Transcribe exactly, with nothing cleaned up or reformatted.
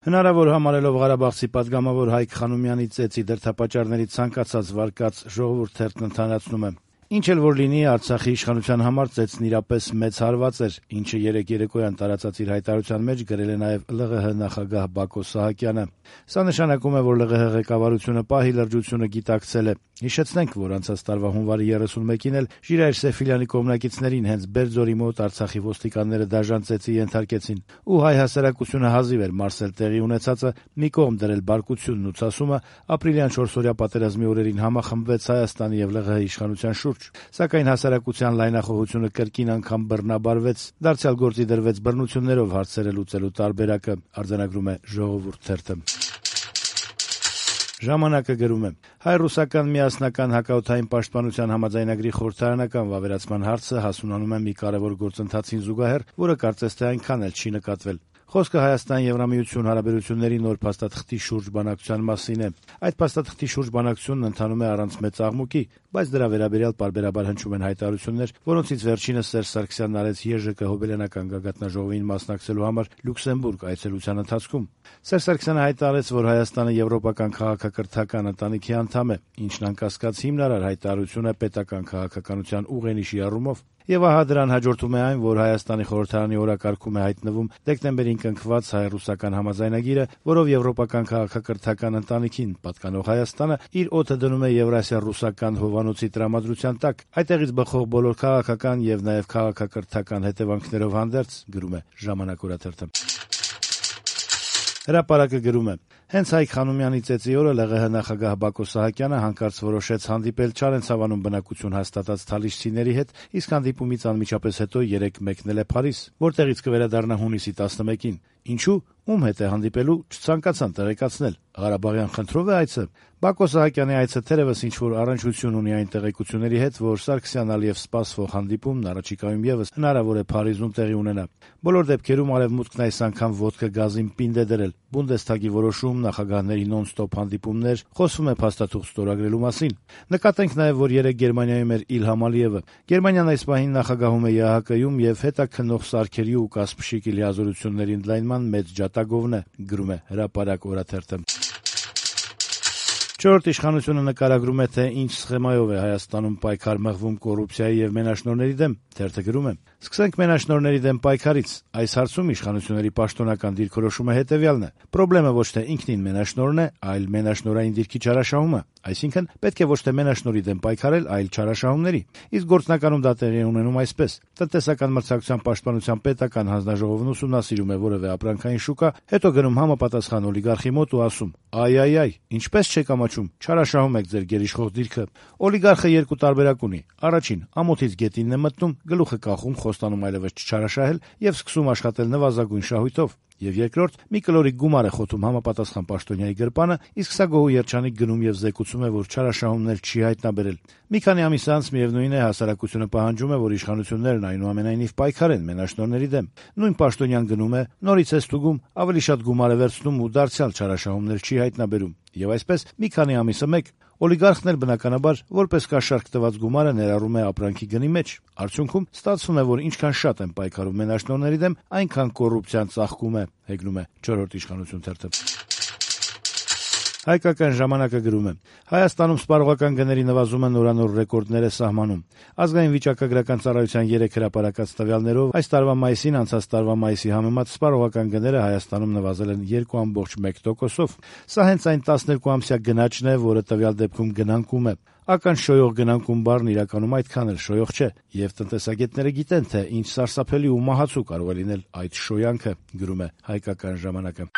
Հնարավոր համարելով Ղարաբաղցի պատգամավոր Հայկ Խանոմյանի ծեծի դրդապատճառների ցանկացած վարկած, Ժողովուրդ թերթն ընդհանրացնում է. Ինչ էլ որ լինի, Արցախի իշխանության համար ծեծն իրապես մեծ հարված էր, ինչը երեկ երեկոյան տարածած իր հայտարարության մեջ գրել է նաև ԼՂՀ նախագահ Բակո Սահակյանը։ Սա նշանակում է, որ ԼՂՀ ղեկավարությունը պահի լրջությունը գիտակցել է։ Հիշեցնենք, որ անցած տարվա հունվարի երեսունմեկին էլ Ժիրայր Սեֆիլյանի կողմնակիցներին հենց Բերձորի մոտ Արցախի ոստիկանները դաժան ծեծի ենթարկեցին, ու հայ հասարակությունը հազիվ էր մարսել տեղի ունեցածը, մի կողմ դրել բարկությունն ու ցասումը, ապրիլյան չորսօրյա պատերազմի օրերին համախմբվեց Հայաստանի եւ ԼՂՀ իշխանության շուրջ։ Սակայն հասարակության լայնախոհությունը կրկին անգամ բռնաբարվեց, դարձյալ գործի դրվեց բռնություններով հարցերը լուծելու տարբերակը, արձանագրում է Ժողովուրդ թերթը։ Ժամանակը գրում է. հայ-ռուսական միասնական հակաօդային պաշտպանության համաձայնագրի խորհրդարանական վավերացման հարցը հասունանում է մի կարևոր գործընթացին զուգահեռ, որը կարծես թե այնքան էլ չի նկատվել։ Խոսքը Հայաստան-Եվրամիություն հարաբերությունների նոր փաստաթղթի շուրջ բանակցության մասին է։ Այդ փաստաթղթի շուրջ բանակցությունն ընթանում է առանց մեծ աղմուկի, բայց դրա վերաբերյալ պարբերաբար հնչում են հայտարարություններ, որոնցից վերջինս Սերժ Սարգսյանն արեց ԵԺԿ հոբելյանական գագաթնաժողովին մասնակցելու համար Լյուքսեմբուրգ այցելության ընթացքում։ Սերժ Սարգսյանը հայտարարեց, որ Հայաստանը եվրոպական քաղաքակրթական ընտանիքի անդամ է, ինչն անկասկած հիմնարար հայտարարություն է պետական քաղաքականության ուղենիշի առումով։ Եվ ահա դրան հաջորդում է այն, որ Հայաստանի խորհրդարանի օրակարգում է հայտնվում դեկտեմբերին կնքված հայ-ռուսական համաձայնագիրը, որով եվրոպական քաղաքակրթական ընտանիքին պատկանող Հայաստանը իր օդը դնում է Եվրասիա-ռուսական հովանոցի տրամադրության տակ, այդտեղից բխող բոլոր քաղաքական եւ նաեւ քաղաքակրթական հետևանքներով հանդերձ, գրում է Ժամանակ օրաթերթը։ Հրապարակը գրում է. հենց Հայկ Խանոմյանի ծեծի օրը ԼՂՀ նախագահ Բակո Սահակյանը հանկարծ որոշեց հանդիպել Չարենցավանում բնակություն հաստատած թալիշցիների հետ, իսկ հանդիպումից անմիջապես հետո երեկ մեկնել է Փարիզ, որտեղից կվերադառնա հունիսի տասնմեկին։ Ինչու՞, ում հետ է հանդիպելու, չցանկացան տեղեկացնել։ Ղարաբաղյան խնդրով է այցը։ Բակո Սահակյանի այցը թերևս ինչ-որ առնչություն ունի այն տեղեկությունների հետ, որ Սարգսյան-Ալիև սպասվող հանդիպումն առաջիկայում եւս հնարավոր է Փարիզում տեղի ունենա։ Բոլոր դեպքերում Արևմուտքն այս անգամ ոտքը գազին պինդ է դրել։ Բունդեսթագի որոշում, նախագահների նոն-ստոպ հանդիպումներ, խոսվում է փաստաթուղթ ստորագրելու մասին։ Նկատենք նաեւ, որ երեկ Գերմանիայում էր Իլհամ Ալիևը։ Գերմանիան այս պահին նախագահում է ԵԱՀԿ-ում եւ հետաքննող սարքերի ու Կասպշիկի լիազորությունների ընդլայնման մեծ ջատագովն է, գրում է Հրապարակ օրաթերթը։ Չորրորդ իշխանությունը նկարագրում է, թե ինչ սխեմայով է Հայաստանում պայքար մղվում կոռուպցիայի եւ մենաշնորհների դեմ։ Թերթը գրում է. Սկսենք մենաշնորհների դեմ պայքարից։ Այս հարցում իշխանությունների պաշտոնական դիրքորոշումը հետեւյալն է. Պրոբլեմը ոչ թե ինքնին մենաշնորհն է, այլ մենաշնորհային դիրքի չարաշահումը։ Այսինքն պետք է ոչ թե մենաշնորհի դեմ պայքարել, այլ չարաշահումների։ Իսկ գործնականում դա տեղի է ունենում այսպես. տնտեսական մրցակցության պաշտպանության պետական հանձնաժողովն ուսումնասիրում է որևէ ապրանքային շուկա, հետո գնում համապատասխան օլիգարխի մոտ ու ասում. «Այ-այ-այ, ինչպես չեք ամաչում, չարաշահում եք ձեր գերիշխող դիրքը»։ Օլիգարխը երկու տարբերակ ունի։ Առաջին, ամոթից գետինն է մտնում, գլուխը կախում, խոստանում այլևս չչարաշահել եւ սկսում աշխատել նվազագույն շահույթով։ Եվ երկրորդ, մի կլորիկ գումար է խոթում համապատասխան պաշտոնյայի գրպանը, իսկ սա գոհու երջանիկ գնում եւ զեկուցում է, որ չարաշահումներ չի հայտնաբերել։ Մի քանի ամիս անց միևնույն է հասարակությունը պահանջում է, որ իշխանություններն այնուամենայնիվ պայքարեն մենաշնորհների դեմ։ Նույն պաշտոնյան գնում է, նորից է ստուգում, ավելի շատ գումար է վերցնում ու դարձյալ չարաշահումներ չի հայտնաբերում։ Եվ այսպես մի քանի ամիսը մեկ օլիգարխն էլ բնականաբար որպես կաշառք տված գումարը ներառում է ապրանքի գնի մեջ։ Արդյունքում ստացվում է, որ ինչքան շատ են պայքարում մենաշնորհների դեմ, այնքան կոռուպցիան ծաղկում է, հեգնում է չորրորդ իշխանություն թերթը։ Հայկական ժամանակը գրում է. Հայաստանում սպառողական գների նվազումը նորանոր ռեկորդներ է սահմանում։ Ազգային վիճակագրական ծառայության երեք հրապարակած տվյալներով այս տարվա մայիսին անցած տարվա մայիսի համեմատ սպառողական գները Հայաստանում նվազել են երկու կόμμα մեկ տոկոսով։ Սա հենց այն տասներկու ամսյա գնաճն է, որը տվյալ դեպքում գնանկում է։ Ական շոյող գնանկում բառն իրականում այդքան էլ շոյող չէ, եւ տնտեսագետները գիտեն, թե ինչ սարսափելի ու մահացու կարող է լինել այդ շոյանքը, գրում է Հայկական ժամանակը։